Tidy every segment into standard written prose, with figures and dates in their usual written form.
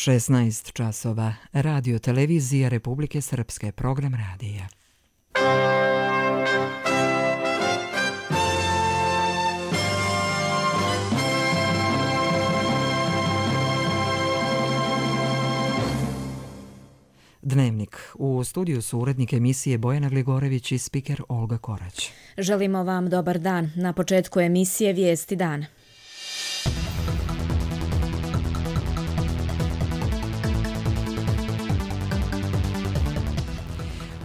16 časova. Radio televizija Republike Srpske, program radija. Dnevnik. U studiju su urednik emisije Bojana Gligorević i spiker Olga Korać. Želimo vam dobar dan. Na početku emisije Vijesti dana.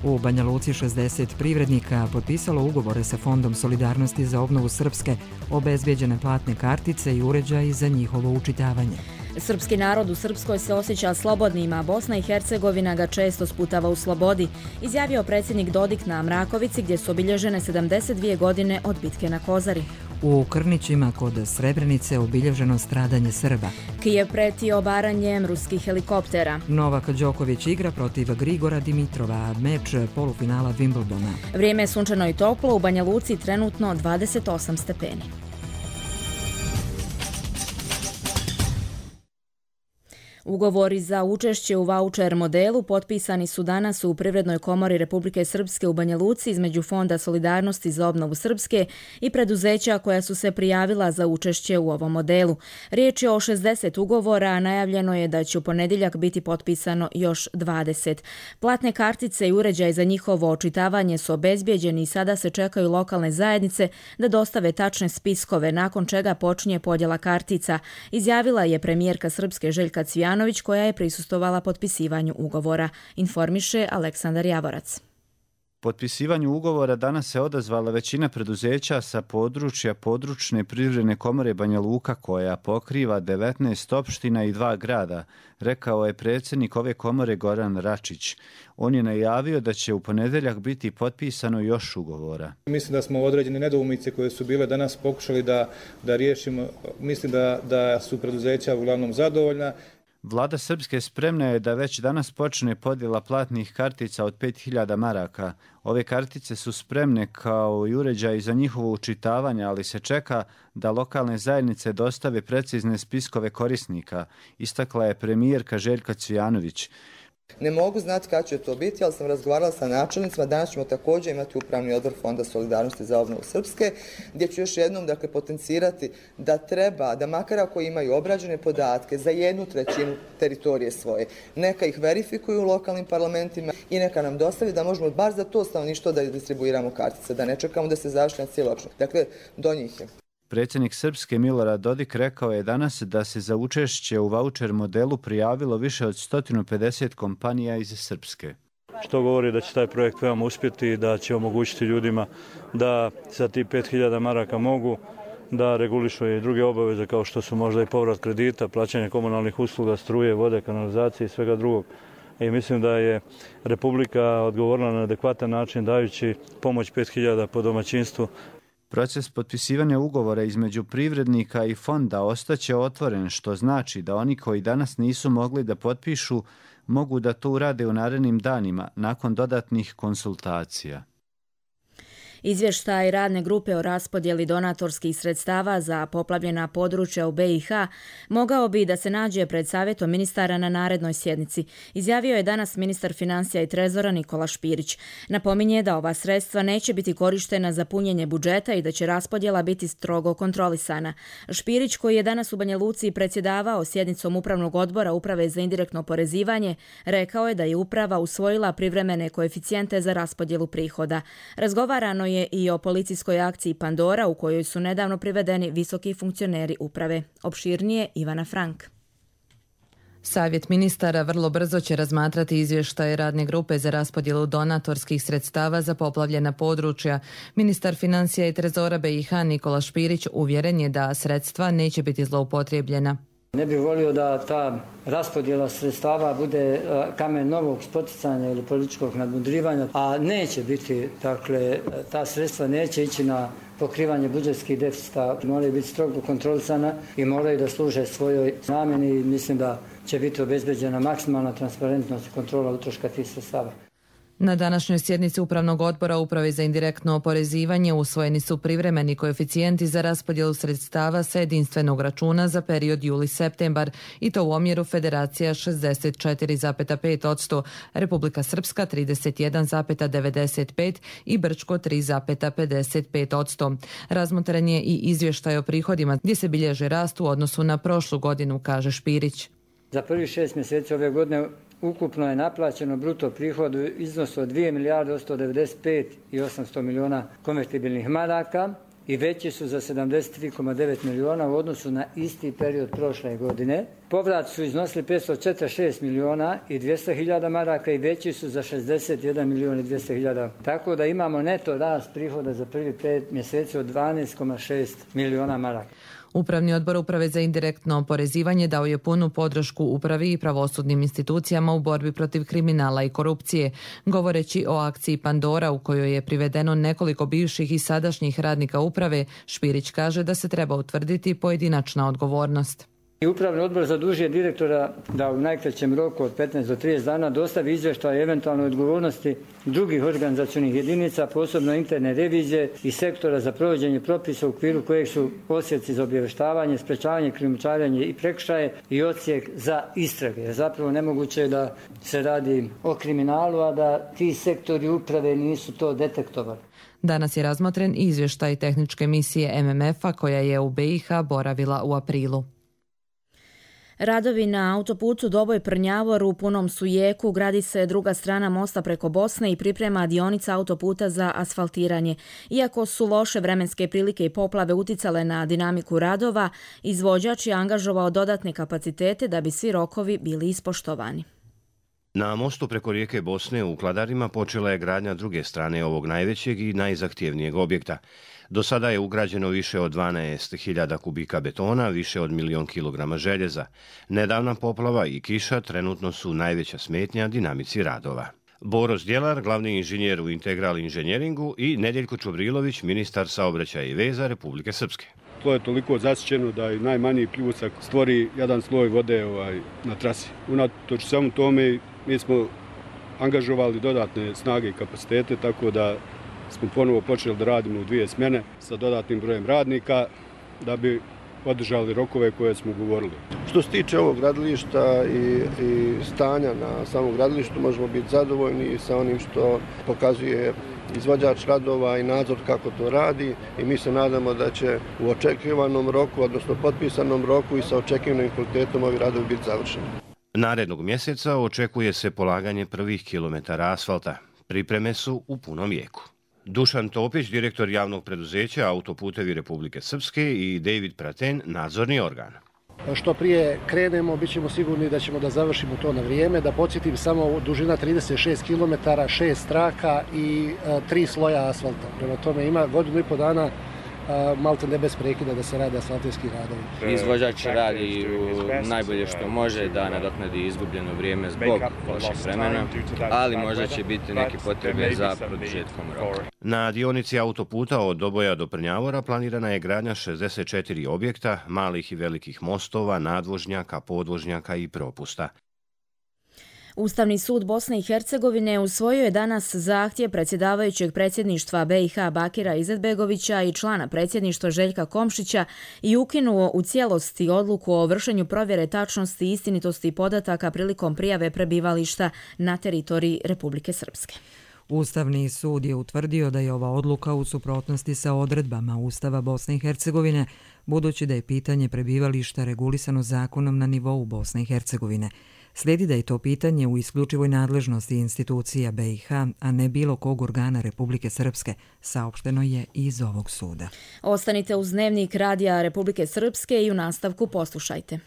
U Banja Luci 60 privrednika potpisalo ugovore sa Fondom solidarnosti za obnovu Srpske, obezbjeđene platne kartice i uređaji za njihovo učitavanje. Srpski narod u Srpskoj se osjeća slobodnim, a Bosna i Hercegovina ga često sputava u slobodi, izjavio predsjednik Dodik na Mrakovici, gdje su obilježene 72 godine od bitke na Kozari. U Krnićima kod Srebrenice obilježeno stradanje Srba. Kijev preti obaranjem ruskih helikoptera. Novak Đoković igra protiv Grigora Dimitrova, meč polufinala Wimbledona. Vrijeme je sunčano i toplo, u Banja Luci trenutno 28 stepeni. Ugovori za učešće u vaučer modelu potpisani su danas u Privrednoj komori Republike Srpske u Banja Luci između Fonda solidarnosti za obnovu Srpske i preduzeća koja su se prijavila za učešće u ovom modelu. Riječ je o 60 ugovora, a najavljeno je da će u ponedjeljak biti potpisano još 20. Platne kartice i uređaj za njihovo očitavanje su obezbjeđeni i sada se čekaju lokalne zajednice da dostave tačne spiskove, nakon čega počinje podjela kartica, izjavila je premijerka Srpske Željka Cvijanović, koja je prisustvovala potpisivanju ugovora, informiše Aleksandar Javorac. Potpisivanju ugovora danas se odazvala većina preduzeća sa područja područne privredne komore Banja Luka, koja pokriva 19 opština i 2 grada, rekao je predsjednik ove komore Goran Račić. On je najavio da će u ponedjeljak biti potpisano još ugovora. Mislim da smo određene nedoumice koje su bile danas pokušali da riješimo. Mislim da su preduzeća uglavnom zadovoljna. Vlada Srpske spremna je da već danas počne podjela platnih kartica od 5000 maraka. Ove kartice su spremne kao i uređaji za njihovo učitavanje, ali se čeka da lokalne zajednice dostave precizne spiskove korisnika, istakla je premijerka Željka Cvijanović. Ne mogu znati kada će to biti, ali sam razgovarala sa načelnicima. Danas ćemo također imati upravni odbor Fonda solidarnosti za obnovu Srpske, gdje ću još jednom potencirati da treba, da makar ako imaju obrađene podatke za 1/3 teritorije svoje, neka ih verifikuju u lokalnim parlamentima i neka nam dostavi da možemo bar za to stanovništvo da distribuiramo kartice, da ne čekamo da se završi na cijelu opštinu. Dakle, do njih je. Predsjednik Srpske Milorad Dodik rekao je danas da se za učešće u vaučer modelu prijavilo više od 150 kompanija iz Srpske. Što govori da će taj projekt veoma uspjeti i da će omogućiti ljudima da za tih 5000 maraka mogu da regulišu i druge obaveze kao što su možda i povrat kredita, plaćanje komunalnih usluga, struje, vode, kanalizacije i svega drugog. I mislim da je Republika odgovorila na adekvatan način dajući pomoć 5000 po domaćinstvu. Proces potpisivanja ugovora između privrednika i fonda ostaće otvoren, što znači da oni koji danas nisu mogli da potpišu mogu da to urade u narednim danima nakon dodatnih konsultacija. Izvještaj radne grupe o raspodjeli donatorskih sredstava za poplavljena područja u BiH mogao bi da se nađe pred savjetom ministara na narednoj sjednici, izjavio je danas ministar financija i trezora Nikola Špirić. Napominje da ova sredstva neće biti korištena za punjenje budžeta i da će raspodjela biti strogo kontrolisana. Špirić, koji je danas u Banja Luci predsjedavao sjednicom Upravnog odbora Uprave za indirektno oporezivanje, rekao je da je uprava usvojila privremene koeficijente za raspodjelu prihoda. Razgovarano je i o policijskoj akciji Pandora, u kojoj su nedavno privedeni visoki funkcioneri uprave. Opširnije Ivana Frank. Savjet ministara vrlo brzo će razmatrati izvještaje radne grupe za raspodjelu donatorskih sredstava za poplavljena područja. Ministar financija i trezora BiH Nikola Špirić uvjeren je da sredstva neće biti zloupotrijebljena. Ne bih volio da ta raspodjela sredstava bude kamen novog spoticanja ili političkog nadmudrivanja, a neće biti, dakle, ta sredstva neće ići na pokrivanje budžetskih deficita, moraju biti strogo kontrolisana i moraju da služe svojoj namjeni i mislim da će biti obezbeđena maksimalna transparentnost i kontrola utroška tih sredstava. Na današnjoj sjednici Upravnog odbora Uprave za indirektno oporezivanje usvojeni su privremeni koeficijenti za raspodjelu sredstava sa jedinstvenog računa za period juli-septembar i to u omjeru Federacija 64,5%, Republika Srpska 31,95% i Brčko 3,55%. Razmotren je i izvještaj o prihodima gdje se bilježe rast u odnosu na prošlu godinu, kaže Špirić. Za prvih 6 mjeseci ove godine ukupno je naplaćeno bruto prihod u iznosu od 2 milijarde 195 i 800 milijuna konvertibilnih maraka i veći su za 73,9 milijuna u odnosu na isti period prošle godine. Povrat su iznosili 546 milijuna i 200 hiljada maraka i veći su za 61 milijun i 200 hiljada. Tako da imamo neto rast prihoda za prvih 5 mjeseci od 12,6 milijuna maraka. Upravni odbor Uprave za indirektno oporezivanje dao je punu podršku upravi i pravosudnim institucijama u borbi protiv kriminala i korupcije, govoreći o akciji Pandora u kojoj je privedeno nekoliko bivših i sadašnjih radnika uprave. Špirić kaže da se treba utvrditi pojedinačna odgovornost. Upravni odbor zadužuje direktora da u najkraćem roku od 15 do 30 dana dostavi izvještaj o eventualnoj odgovornosti drugih organizacionih jedinica, posebno interne revizije i sektora za provođenje propisa u okviru kojeg su odsjeci za obavještavanje, sprečavanje, krijumčarenje i prekršaje i odsjek za istrage. Jer zapravo nemoguće je da se radi o kriminalu, a da ti sektori uprave nisu to detektovali. Danas je razmotren izvještaj tehničke misije MMF-a koja je u BiH boravila u aprilu. Radovi na autoputu Doboj-Prnjavor u punom su jeku, gradi se druga strana mosta preko Bosne i priprema dionica autoputa za asfaltiranje. Iako su loše vremenske prilike i poplave uticale na dinamiku radova, izvođač je angažovao dodatne kapacitete da bi svi rokovi bili ispoštovani. Na mostu preko rijeke Bosne u Kladarima počela je gradnja druge strane ovog najvećeg i najzahtjevnijeg objekta. Do sada je ugrađeno više od 12.000 kubika betona, više od 1.000.000 kilograma željeza. Nedavna poplava i kiša trenutno su najveća smetnja dinamici radova. Boro Zdjelar, glavni inženjer u Integral inženjeringu i Nedjeljko Čobrilović, ministar saobraćaja i veza Republike Srpske. To je toliko zasićeno da i najmanji pljusak stvori jedan sloj vode na trasi. Unatoč samo tome mi smo angažovali dodatne snage i kapacitete, tako da smo ponovo počeli da radimo u 2 smjene sa dodatnim brojem radnika da bi održali rokove koje smo govorili. Što se tiče ovog gradilišta i stanja na samom gradilištu, možemo biti zadovoljni sa onim što pokazuje izvođač radova i nadzor kako to radi i mi se nadamo da će u očekivanom roku, odnosno potpisanom roku i sa očekivanim kvalitetom ovi radovi biti završeni. Narednog mjeseca očekuje se polaganje prvih kilometara asfalta. Pripreme su u punom jeku. Dušan Topić, direktor javnog preduzeća Autoputevi Republike Srpske i David Praten, nadzorni organ. Što prije krenemo, bit ćemo sigurni da ćemo da završimo to na vrijeme. Da podsjetim, samo dužina 36 km, 6 traka i 3 sloja asfalta. Prema tome ima 1,5 dana malte ne bez prekida da se rade asfaltijski radovi. Izvođač radi najbolje što može da nadoknadi izgubljeno vrijeme zbog lošeg vremena, ali možda će biti neke potrebe za produžetkom roka. Na dionici autoputa od Doboja do Prnjavora planirana je gradnja 64 objekta, malih i velikih mostova, nadvožnjaka, podvožnjaka i propusta. Ustavni sud Bosne i Hercegovine usvojio je danas zahtjev predsjedavajućeg predsjedništva BiH Bakira Izetbegovića i člana predsjedništva Željka Komšića i ukinuo u cijelosti odluku o vršenju provjere tačnosti i istinitosti podataka prilikom prijave prebivališta na teritoriji Republike Srpske. Ustavni sud je utvrdio da je ova odluka u suprotnosti sa odredbama Ustava Bosne i Hercegovine, budući da je pitanje prebivališta regulisano zakonom na nivou Bosne i Hercegovine. Slijedi da je to pitanje u isključivoj nadležnosti institucija BiH, a ne bilo kog organa Republike Srpske, saopšteno je iz ovog suda. Ostanite uz Dnevnik radija Republike Srpske i u nastavku poslušajte.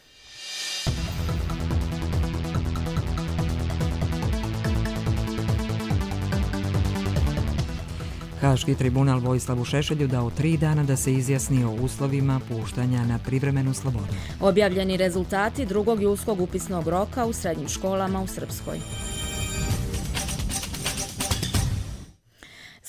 Haški tribunal Vojislavu Šešelju dao 3 dana da se izjasni o uslovima puštanja na privremenu slobodu. Objavljeni rezultati drugog julskog upisnog roka u srednjim školama u Srpskoj.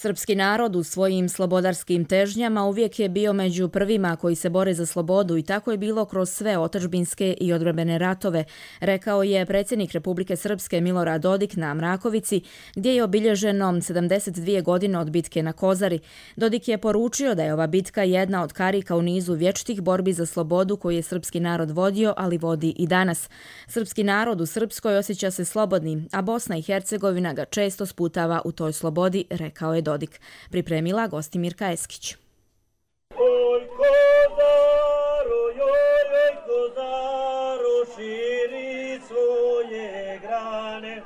Srpski narod u svojim slobodarskim težnjama uvijek je bio među prvima koji se bore za slobodu i tako je bilo kroz sve otadžbinske i odbrambene ratove, rekao je predsjednik Republike Srpske Milorad Dodik na Mrakovici, gdje je obilježeno 72 godine od bitke na Kozari. Dodik je poručio da je ova bitka jedna od karika u nizu vječitih borbi za slobodu koju je srpski narod vodio, ali vodi i danas. Srpski narod u Srpskoj osjeća se slobodnim, a Bosna i Hercegovina ga često sputava u toj slobodi, rekao je Dodik. Pripremila Gostimirka Eskić. Oj Kozaro, joj Kozaro, širi svoje grane.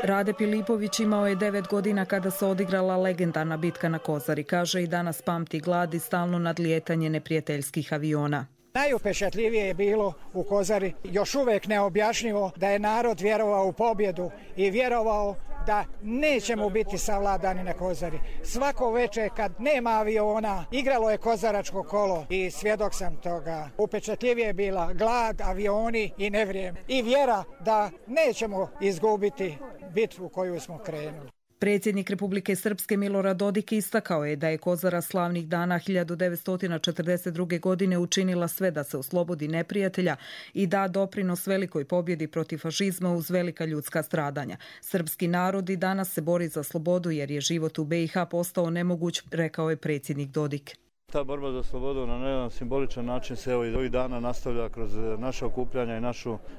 Rade Pilipović imao je 9 godina kada se odigrala legendarna bitka na Kozari. Kaže i danas pamti glad i stalno nadlijetanje neprijateljskih aviona. Najupečatljivije je bilo u Kozari, još uvijek neobjašnjivo da je narod vjerovao u pobjedu i vjerovao da nećemo biti savladani na Kozari. Svako večer kad nema aviona, igralo je kozaračko kolo i svjedok sam toga. Upečatljivije je bila glad, avioni i nevrijeme. I vjera da nećemo izgubiti bitvu koju smo krenuli. Predsjednik Republike Srpske Milorad Dodik istakao je da je Kozara slavnih dana 1942. godine učinila sve da se oslobodi neprijatelja i da doprinos velikoj pobjedi protiv fašizma uz velika ljudska stradanja. Srpski narod i danas se bori za slobodu jer je život u BiH postao nemoguć, rekao je predsjednik Dodik. Ta borba za slobodu na jedan simboličan način se evo i ovih dana nastavlja kroz naše okupljanja i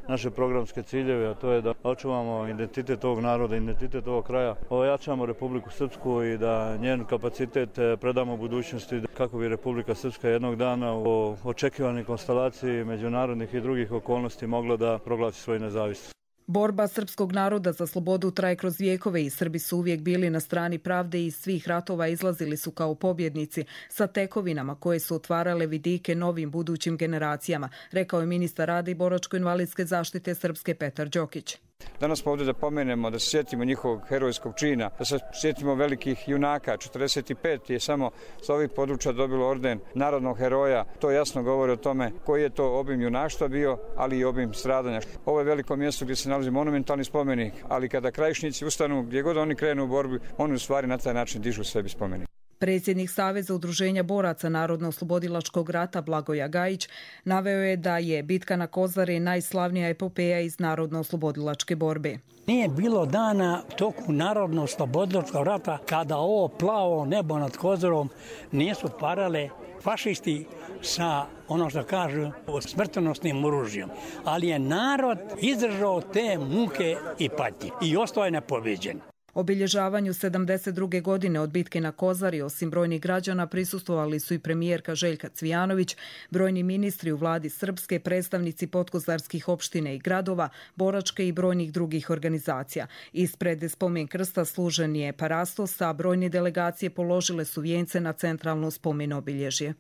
naše programske ciljeve, a to je da očuvamo identitet ovog naroda, identitet ovog kraja, ojačamo Republiku Srpsku i da njen kapacitet predamo budućnosti kako bi Republika Srpska jednog dana u očekivanoj konstelaciji međunarodnih i drugih okolnosti mogla da proglasi svoju nezavisnost. Borba srpskog naroda za slobodu traje kroz vijekove i Srbi su uvijek bili na strani pravde i iz svih ratova izlazili su kao pobjednici sa tekovinama koje su otvarale vidike novim budućim generacijama, rekao je ministar rada i boračko-invalidske zaštite Srpske Petar Đokić. Danas smo ovdje da pomenemo, da se sjetimo njihovog herojskog čina, da se sjetimo velikih junaka. 45 je samo sa ovih područja dobilo orden narodnog heroja. To jasno govori o tome koji je to obim junaštva bio, ali i obim stradanja. Ovo je veliko mjesto gdje se nalazi monumentalni spomenik, ali kada krajišnici ustanu, gdje god oni krenu u borbi, oni u stvari na taj način dižu sebi spomenik. Predsjednik Saveza udruženja boraca Narodno-oslobodilačkog rata Blagoja Gajić naveo je da je bitka na Kozari najslavnija epopeja iz Narodno-oslobodilačke borbe. Nije bilo dana toku Narodno-oslobodilačkog rata kada ovo plavo nebo nad Kozarom nisu parale fašisti sa, ono što kažu, smrtonosnim oružjem. Ali je narod izdržao te muke i patnje i ostao je nepobeđen. Obilježavanju 72. godine od bitke na Kozari, osim brojnih građana, prisustvovali su i premijerka Željka Cvijanović, brojni ministri u vladi Srpske, predstavnici podkozarskih opštine i gradova, boračke i brojnih drugih organizacija. Ispred spomen krsta služen je parastos, a brojne delegacije položile su vijence na centralno spomen obilježje.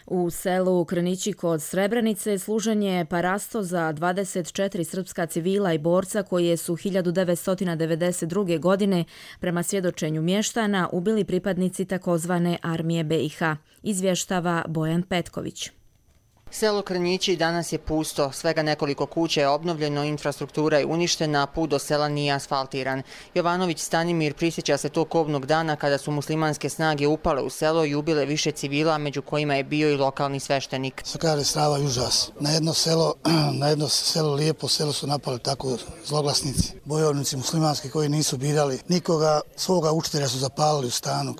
U selu Krnići kod Srebrenice služen je parasto za 24 srpska civila i borca koje su 1992. godine prema svjedočenju mještana ubili pripadnici takozvane armije BiH, izvještava Bojan Petković. Selo Krnjići danas je pusto, svega nekoliko kuća je obnovljeno, infrastruktura je uništena, put do sela nije asfaltiran. Jovanović Stanimir prisjeća se tog kobnog dana kada su muslimanske snage upale u selo i ubile više civila, među kojima je bio i lokalni sveštenik. Što kaže strava i užas. Na jedno selo, lijepo selo su napali tako zloglasnici, bojovnici muslimanski koji nisu birali nikoga, svoga učitelja su zapalili u stanu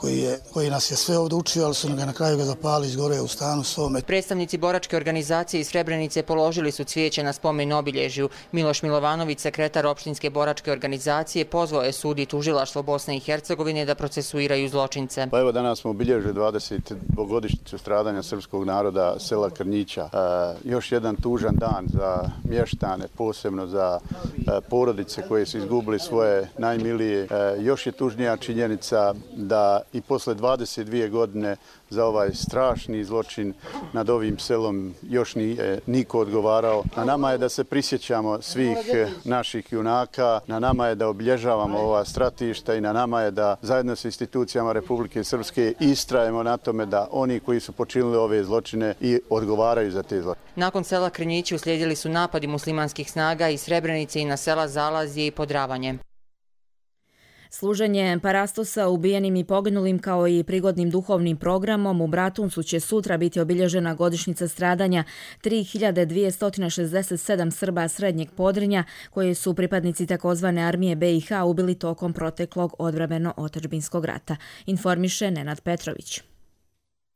koji nas je sve ovdje učio, ali su ga na kraju zapalili, izgore u stanu svome. Predstavnici boračke organizacije iz Srebrenice položili su cvijeće na spomen obilježju. Miloš Milovanović, sekretar opštinske boračke organizacije, pozvao je sud i tužilaštvo Bosne i Hercegovine da procesuiraju zločince. Pa evo danas smo obilježili 20-godišnjicu stradanja srpskog naroda sela Krnjića. Još jedan tužan dan za mještane, posebno za porodice koje su izgubili svoje najmilije. Još je tužnija činjenica da i posle 22 godine za ovaj strašni zločin nad ovim selom još nije niko odgovarao. Na nama je da se prisjećamo svih naših junaka, na nama je da obilježavamo ova stratišta i na nama je da zajedno s institucijama Republike Srpske istrajemo na tome da oni koji su počinili ove zločine i odgovaraju za te zločine. Nakon sela Krnjići uslijedili su napadi muslimanskih snaga iz Srebrenice i na sela Zalazije i Podravanje. Služenje parastosa ubijenim i poginulim kao i prigodnim duhovnim programom u Bratuncu će sutra biti obilježena godišnjica stradanja 3267 Srba Srednjeg Podrinja koji su pripadnici takozvane armije BiH ubili tokom proteklog odbrambeno-otadžbinskog rata, informiše Nenad Petrović.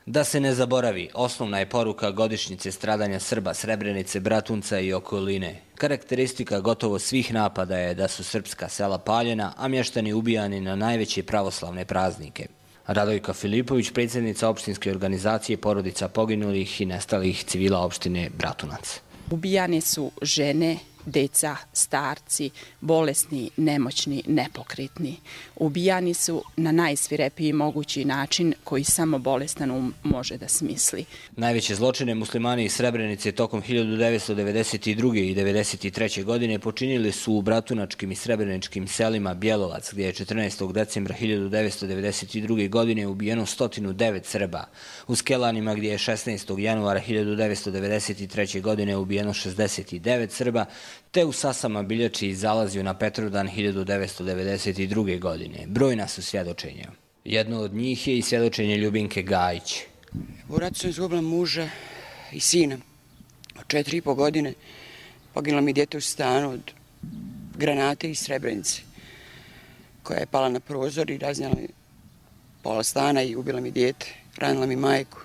Da se ne zaboravi, osnovna je poruka godišnjice stradanja Srba Srebrenice, Bratunca i okoline. Karakteristika gotovo svih napada je da su srpska sela paljena, a mještani ubijani na najveće pravoslavne praznike. Radojka Filipović, predsjednica opštinske organizacije porodica poginulih i nestalih civila opštine Bratunac. Ubijane su žene, deca, starci, bolesni, nemoćni, nepokretni. Ubijani su na najsvirepiji mogući način koji samo bolestan može da smisli. Najveće zločine muslimani iz Srebrenice tokom 1992. i 1993. godine počinili su u bratunačkim i srebreničkim selima Bjelovac, gdje je 14. decembra 1992. godine ubijeno 109 Srba. U Skelanima, gdje je 16. januara 1993. godine ubijeno 69 Srba, te u Sasama, Biljači i Zalaziju na Petrovdan 1992. godine. Brojna su svjedočenja. Jedno od njih je i svjedočenje Ljubinke Gajić. U ratu sam izgubila muža i sina od 4,5 godine. Poginulo mi dijete u stanu od granate iz Srebrenice koja je pala na prozor i raznijela mi pola stana i ubila mi dijete, ranila mi majku.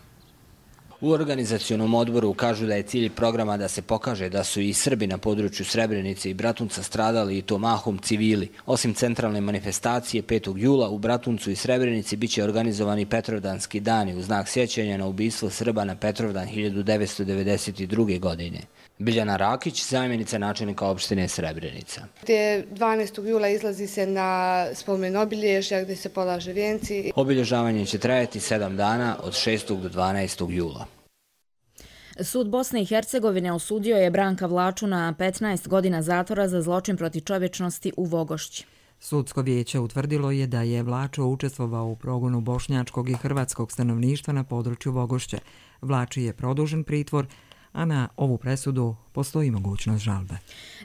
U organizacionom odboru kažu da je cilj programa da se pokaže da su i Srbi na području Srebrenice i Bratunca stradali i to mahom civili. Osim centralne manifestacije 5. jula u Bratuncu i Srebrenici biće organizovani Petrovdanski dani u znak sjećanja na ubistvo Srba na Petrovdan 1992. godine. Biljana Rakić, zamjenica načelnika opštine Srebrenica. 12. jula izlazi se na spomen obilježja gdje se polaže vijenci. Obilježavanje će trajati 7 dana od 6. do 12. jula. Sud Bosne i Hercegovine osudio je Branka Vlaču na 15 godina zatvora za zločin protiv čovječnosti u Vogošći. Sudsko vijeće utvrdilo je da je Vlačo učestvovao u progonu bošnjačkog i hrvatskog stanovništva na području Vogošće. Vlači je produžen pritvor, a na ovu presudu postoji mogućnost žalbe.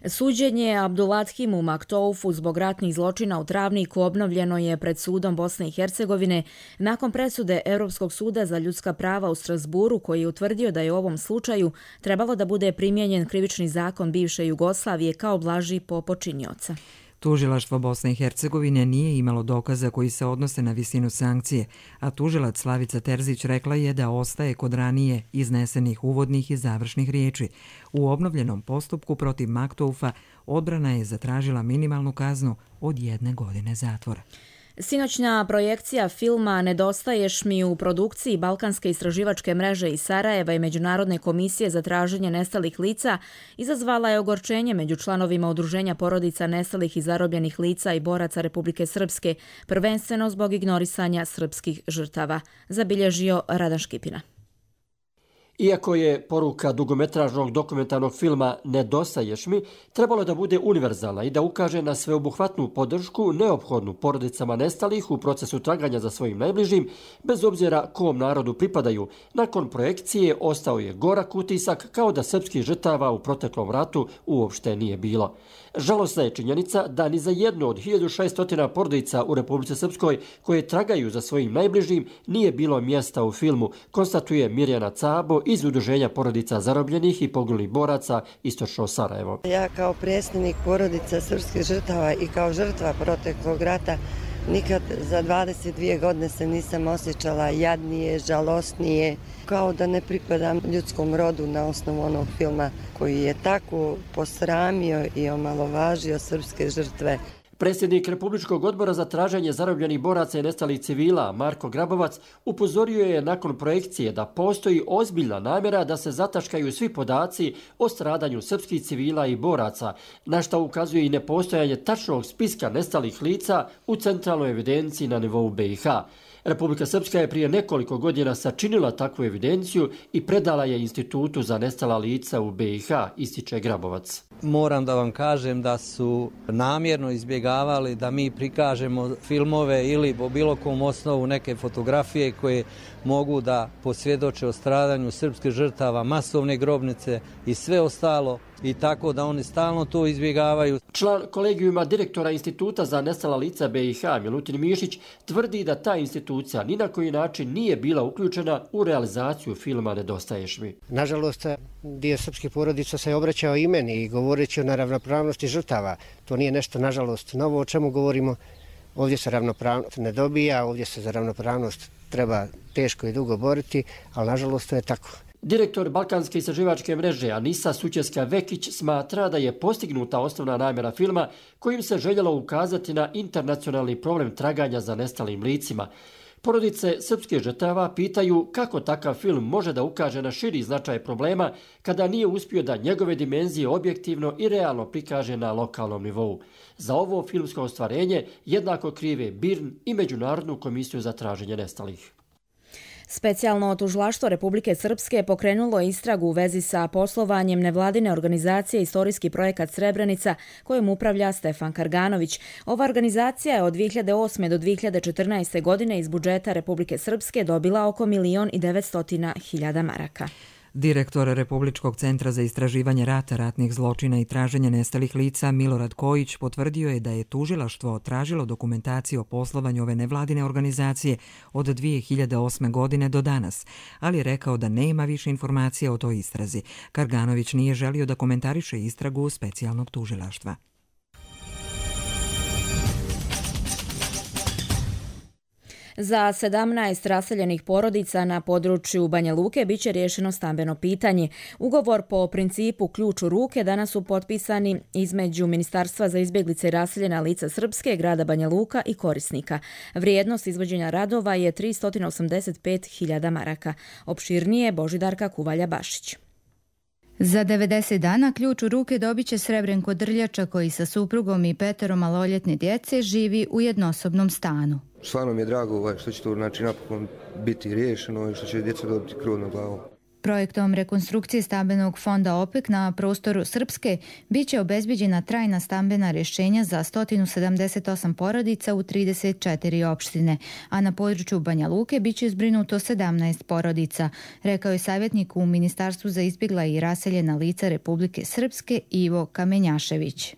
Suđenje Abdulathimu Maktoufu zbog ratnih zločina u Travniku obnovljeno je pred sudom Bosne i Hercegovine nakon presude Europskog suda za ljudska prava u Strasburu, koji je utvrdio da je u ovom slučaju trebalo da bude primijenjen krivični zakon bivše Jugoslavije kao blaži po počinioca. Tužilaštvo Bosne i Hercegovine nije imalo dokaza koji se odnose na visinu sankcije, a tužilac Slavica Terzić rekla je da ostaje kod ranije iznesenih uvodnih i završnih riječi. U obnovljenom postupku protiv Maktoufa odbrana je zatražila minimalnu kaznu od 1 godine zatvora. Sinoćna projekcija filma Nedostaješ mi u produkciji Balkanske istraživačke mreže iz Sarajeva i Međunarodne komisije za traženje nestalih lica izazvala je ogorčenje među članovima Udruženja porodica nestalih i zarobljenih lica i boraca Republike Srpske, prvenstveno zbog ignorisanja srpskih žrtava, zabilježio Radan Škipina. Iako je poruka dugometražnog dokumentarnog filma Nedostaješ mi trebalo da bude univerzalna i da ukaže na sveobuhvatnu podršku neophodnu porodicama nestalih u procesu traganja za svojim najbližim, bez obzira kom narodu pripadaju, nakon projekcije ostao je gorak utisak kao da srpskih žrtava u proteklom ratu uopšte nije bilo. Žalosna je činjenica da ni za jednu od 1600 porodica u Republici Srpskoj koje tragaju za svojim najbližim nije bilo mjesta u filmu, konstatuje Mirjana Cabo iz Udruženja porodica zarobljenih i poginulih boraca Istočno Sarajevo. Ja kao predsjednik porodica srpskih žrtava i kao žrtva proteklog rata nikad za 22 godine se nisam osjećala jadnije, žalosnije, kao da ne pripadam ljudskom rodu na osnovu onog filma koji je tako posramio i omalovažio srpske žrtve. Predsjednik Republičkog odbora za traženje zarobljenih boraca i nestalih civila, Marko Grabovac, upozorio je nakon projekcije da postoji ozbiljna namjera da se zataškaju svi podaci o stradanju srpskih civila i boraca, na što ukazuje i nepostojanje tačnog spiska nestalih lica u centralnoj evidenciji na nivou BiH. Republika Srpska je prije nekoliko godina sačinila takvu evidenciju i predala je Institutu za nestala lica u BiH, ističe Grabovac. Moram da vam kažem da su namjerno izbjegavali da mi prikažemo filmove ili po bilo kom osnovu neke fotografije koje mogu da posvjedoče o stradanju srpskih žrtava, masovne grobnice i sve ostalo i tako da oni stalno to izbjegavaju. Član kolegijuma direktora Instituta za nestala lica BiH Milutin Mišić tvrdi da ta institucija ni na koji način nije bila uključena u realizaciju filma Nedostaješ mi. Nažalost, dio srpskih porodica se obraćao i meni i govoreći o neravnopravnosti žrtava. To nije nešto, nažalost, novo o čemu govorimo. Ovdje se ravnopravnost ne dobija, ovdje se za ravnopravnost treba teško i dugo boriti, ali nažalost to je tako. Direktor Balkanske istraživačke mreže Anisa Sućeska-Vekić smatra da je postignuta osnovna namjera filma kojim se željelo ukazati na internacionalni problem traganja za nestalim licima. Porodice srpskih žrtava pitaju kako takav film može da ukaže na širi značaj problema kada nije uspio da njegove dimenzije objektivno i realno prikaže na lokalnom nivou. Za ovo filmsko ostvarenje jednako krive BIRN i Međunarodnu komisiju za traženje nestalih. Specijalno tužilaštvo Republike Srpske pokrenulo je istragu u vezi sa poslovanjem nevladine organizacije Istorijski projekat Srebrenica kojom upravlja Stefan Karganović. Ova organizacija je od 2008. do 2014. godine iz budžeta Republike Srpske dobila oko 1.900.000 maraka. Direktor Republičkog centra za istraživanje rata, ratnih zločina i traženje nestalih lica Milorad Kojić potvrdio je da je tužilaštvo tražilo dokumentaciju o poslovanju ove nevladine organizacije od 2008. godine do danas, ali je rekao da nema više informacija o toj istrazi. Karganović nije želio da komentariše istragu specijalnog tužilaštva. Za 17 raseljenih porodica na području Banja Luke biće riješeno stambeno pitanje. Ugovor po principu ključ u ruke danas su potpisani između Ministarstva za izbjeglice i raseljena lica Srpske, grada Banja Luka i korisnika. Vrijednost izvođenja radova je 385.000 maraka. Opširnije Božidarka Kuvalja-Bašić. Za 90 dana ključ u ruke dobit će Srebrenko Drljača koji sa suprugom i 5 maloljetne djece živi u jednosobnom stanu. Stvarno mi je drago što će to napokon biti riješeno i što će djeca dobiti krov nad glavom. Projektom rekonstrukcije stambenog fonda OPEC na prostoru Srpske biće obezbeđena trajna stambena rješenja za 178 porodica u 34 opštine, a na području Banja Luke biće zbrinuto 17 porodica, rekao je savjetnik u Ministarstvu za izbjegla i raseljena lica Republike Srpske Ivo Kamenjašević.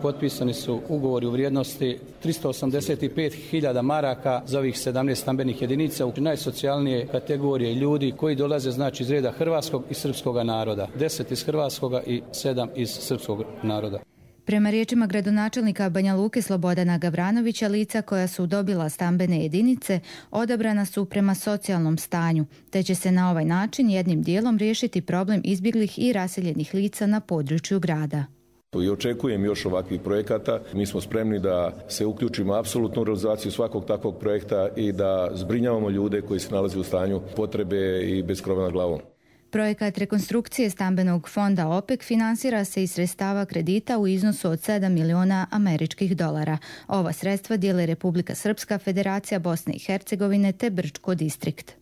Potpisani su ugovori u vrijednosti 385.000 maraka za ovih 17 stambenih jedinica u najsocijalnije kategorije ljudi koji dolaze iz reda hrvatskog i srpskog naroda. 10 iz hrvatskoga i 7 iz srpskog naroda. Prema riječima gradonačelnika Banja Luke Slobodana Gavranovića, lica koja su dobila stambene jedinice odabrana su prema socijalnom stanju, te će se na ovaj način jednim dijelom riješiti problem izbjeglih i raseljenih lica na području grada. I očekujem još ovakvih projekata. Mi smo spremni da se uključimo apsolutno u realizaciju svakog takvog projekta i da zbrinjavamo ljude koji se nalaze u stanju potrebe i bez krova nad glavom. Projekat rekonstrukcije stambenog fonda OPEC finansira se iz sredstava kredita u iznosu od 7 miliona američkih dolara. Ova sredstva dijele Republika Srpska, Federacija Bosne i Hercegovine te Brčko distrikt.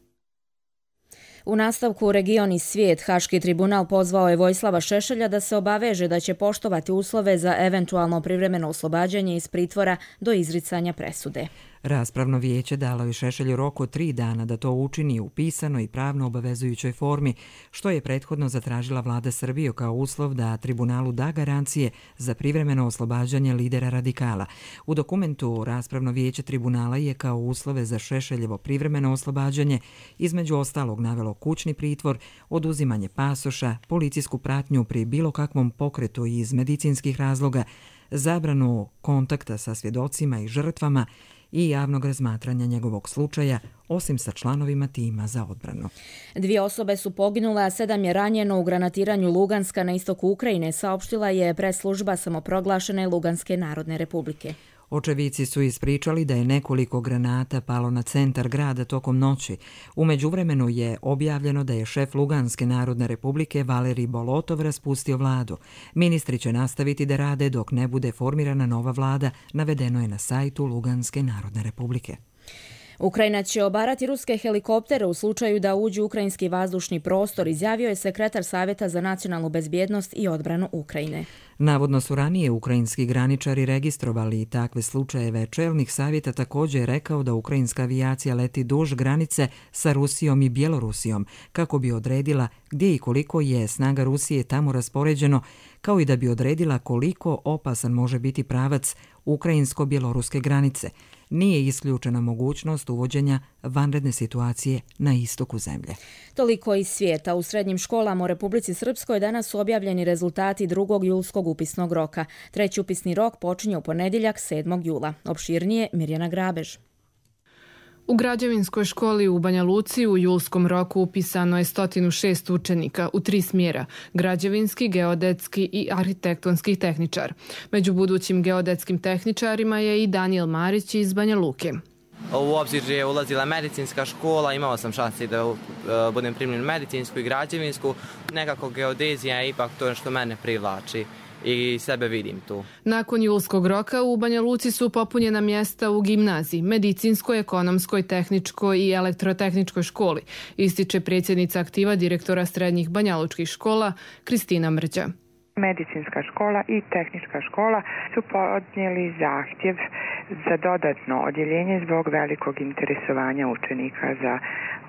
U nastavku Region i svijet, Haški tribunal pozvao je Vojislava Šešelja da se obaveže da će poštovati uslove za eventualno privremeno oslobađanje iz pritvora do izricanja presude. Raspravno vijeće dalo je Šešelju rok od 3 dana da to učini u pisanoj i pravno obavezujućoj formi, što je prethodno zatražila vlada Srbije kao uslov da tribunalu da garancije za privremeno oslobađanje lidera radikala. U dokumentu raspravno vijeće tribunala je kao uslove za Šešeljevo privremeno oslobađanje između ostalog navelo kućni pritvor, oduzimanje pasoša, policijsku pratnju pri bilo kakvom pokretu iz medicinskih razloga, zabranu kontakta sa svjedocima i žrtvama i javnog razmatranja njegovog slučaja, osim sa članovima tima za odbranu. 2 osobe su poginule, a 7 je ranjeno u granatiranju Luganska na istoku Ukrajine, saopštila je press-služba samoproglašene Luganske narodne republike. Očevici su ispričali da je nekoliko granata palo na centar grada tokom noći. U međuvremenu je objavljeno da je šef Luganske narodne republike Valerij Bolotov raspustio vladu. Ministri će nastaviti da rade dok ne bude formirana nova vlada, navedeno je na sajtu Luganske narodne republike. Ukrajina će obarati ruske helikoptere u slučaju da uđu u ukrajinski vazdušni prostor, izjavio je sekretar Savjeta za nacionalnu bezbjednost i odbranu Ukrajine. Navodno su ranije ukrajinski graničari registrovali i takve slučajeve. Čelnik savjeta također je rekao da ukrajinska avijacija leti duž granice sa Rusijom i Bjelorusijom kako bi odredila gdje i koliko je snaga Rusije tamo raspoređeno, kao i da bi odredila koliko opasan može biti pravac ukrajinsko-bjeloruske granice. Nije isključena mogućnost uvođenja vanredne situacije na istoku zemlje. Toliko iz svijeta. U srednjim školama u Republici Srpskoj danas su objavljeni rezultati 2. julskog upisnog roka. 3. upisni rok počinje u ponedjeljak 7. jula. Opširnije Mirjana Grabež. U građevinskoj školi u Banja Luci u julskom roku upisano je 106 učenika u 3 smjera, građevinski, geodetski i arhitektonski tehničar. Među budućim geodetskim tehničarima je i Danijel Marić iz Banja Luke. U obzir je ulazila medicinska škola, imao sam šansi da budem primljen medicinsku i građevinsku. Nekako geodezija je ipak to što mene privlači i sebe vidim tu. Nakon julskog roka u Banja Luci su popunjena mjesta u gimnaziji, medicinskoj, ekonomskoj, tehničkoj i elektrotehničkoj školi, ističe predsjednica aktiva direktora srednjih banjalučkih škola Kristina Mrđa. Medicinska škola i tehnička škola su podnijeli zahtjev za dodatno odjeljenje zbog velikog interesovanja učenika za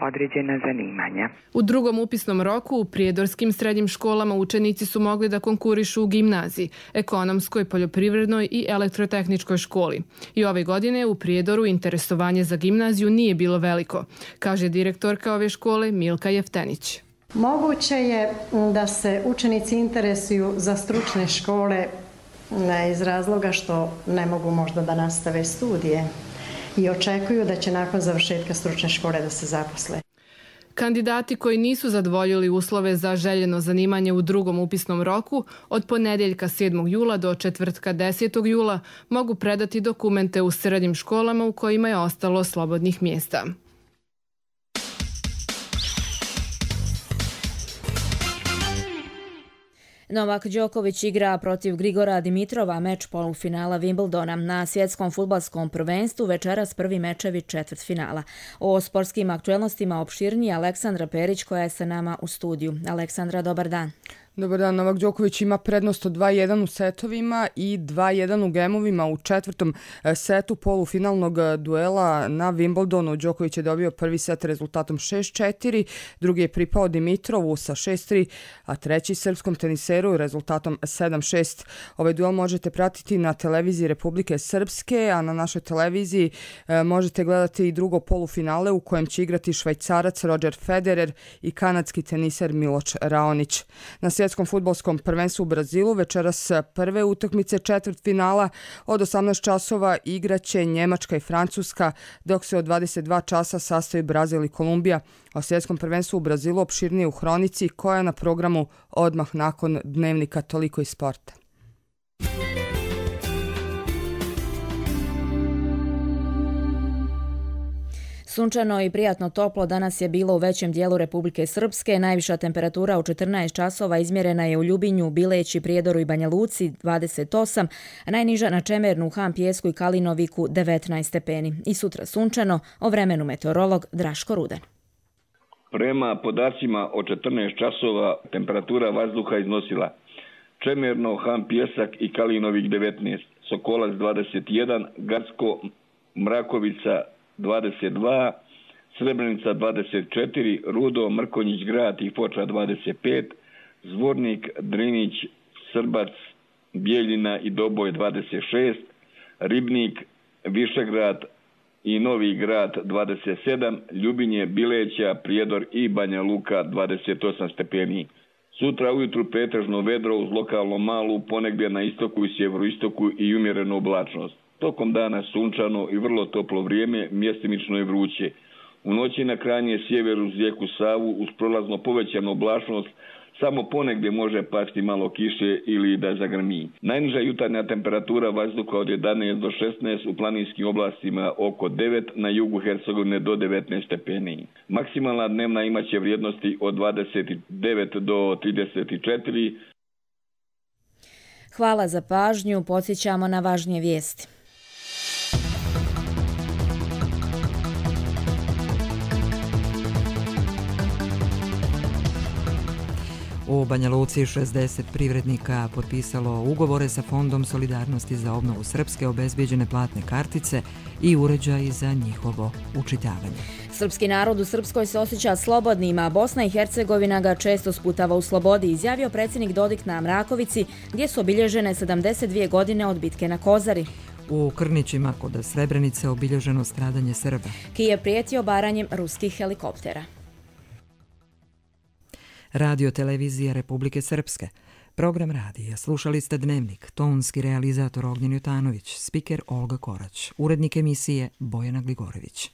određena zanimanja. U 2. upisnom roku u prijedorskim srednjim školama učenici su mogli da konkurišu u gimnaziji, ekonomskoj, poljoprivrednoj i elektrotehničkoj školi. I ove godine u Prijedoru interesovanje za gimnaziju nije bilo veliko, kaže direktorka ove škole Milka Jeftenić. Moguće je da se učenici interesuju za stručne škole iz razloga što ne mogu možda da nastave studije i očekuju da će nakon završetka stručne škole da se zaposle. Kandidati koji nisu zadovoljili uslove za željeno zanimanje u 2. upisnom roku od ponedjeljka 7. jula do četvrtka 10. jula mogu predati dokumente u srednjim školama u kojima je ostalo slobodnih mjesta. Novak Đoković igra protiv Grigora Dimitrova, meč polufinala Wimbledona. Na svjetskom fudbalskom prvenstvu večeras prvi mečevi četvrtfinala. O sportskim aktuelnostima opširnije Aleksandra Perić koja je sa nama u studiju. Aleksandra, dobar dan. Dobar dan, Novak Đoković ima prednost od 2-1 u setovima i 2-1 u gemovima u četvrtom setu polufinalnog duela na Wimbledonu. Đoković je dobio prvi set rezultatom 6-4, drugi je pripao Dimitrovu sa 6-3, a treći srpskom teniseru rezultatom 7-6. Ovaj duel možete pratiti na televiziji Republike Srpske, a na našoj televiziji možete gledati i drugo polufinale u kojem će igrati Švajcarac Roger Federer i kanadski teniser Miloš Raonić. Na svjetskom fudbalskom prvenstvu u Brazilu večeras prve utakmice četvrtfinala od 18 časova igraće Njemačka i Francuska, dok se od 22 časa sastaju Brazil i Kolumbija. O svjetskom prvenstvu u Brazilu opširnije u Hronici koja je na programu odmah nakon dnevnika Toliko iz sporta. Sunčano i prijatno toplo danas je bilo u većem dijelu Republike Srpske. Najviša temperatura u 14 časova izmjerena je u Ljubinju, Bileći, Prijedoru i Banja Luci 28, a najniža na Čemernu, Han, Pijesku i Kalinoviku 19 stepeni. I sutra sunčano, o vremenu meteorolog Draško Ruden. Prema podacima o 14 časova temperatura vazduha iznosila Čemerno, Han, Pijesak i Kalinovik 19, Sokolac 21, Garsko, Mrakovica 22, Srebrenica 24, Rudo, Mrkonjić grad i Foča 25, Zvornik, Drinić, Srbac, Bijeljina i Doboj 26, Ribnik, Višegrad i Novi grad 27, Ljubinje, Bileća, Prijedor i Banja Luka 28 stepeni. Sutra ujutru pretežno vedro uz lokalno malu, ponegdje na istoku i sjeveroistoku i umjerenu oblačnost. Tokom dana sunčano i vrlo toplo vrijeme, mjestimično je vruće. U noći na krajnje sjever uz rijeku Savu uz prolazno povećanu oblačnost samo ponegdje može pasti malo kiše ili da zagrmi. Najniža jutarnja temperatura vazduha od 11 do 16, u planinskim oblastima oko 9, na jugu Hercegovine do 19 stepeni. Maksimalna dnevna imaće vrijednosti od 29 do 34. Hvala za pažnju, podsjećamo na važnije vijesti. U Banja Luci 60 privrednika potpisalo ugovore sa Fondom solidarnosti za obnovu Srpske, obezbijeđene platne kartice i uređaji za njihovo učitavanje. Srpski narod u Srpskoj se osjeća slobodnim, a Bosna i Hercegovina ga često sputava u slobodi, izjavio predsjednik Dodik na Mrakovici, gdje su obilježene 72 godine od bitke na Kozari. U Krnićima kod Srebrenice obilježeno stradanje Srba. Kijev prijetio obaranjem ruskih helikoptera. Radio televizija Republike Srpske. Program radija. Slušali ste Dnevnik. Tonski realizator Ognjen Jutanović. Spiker Olga Korać. Urednik emisije Bojana Gligorević.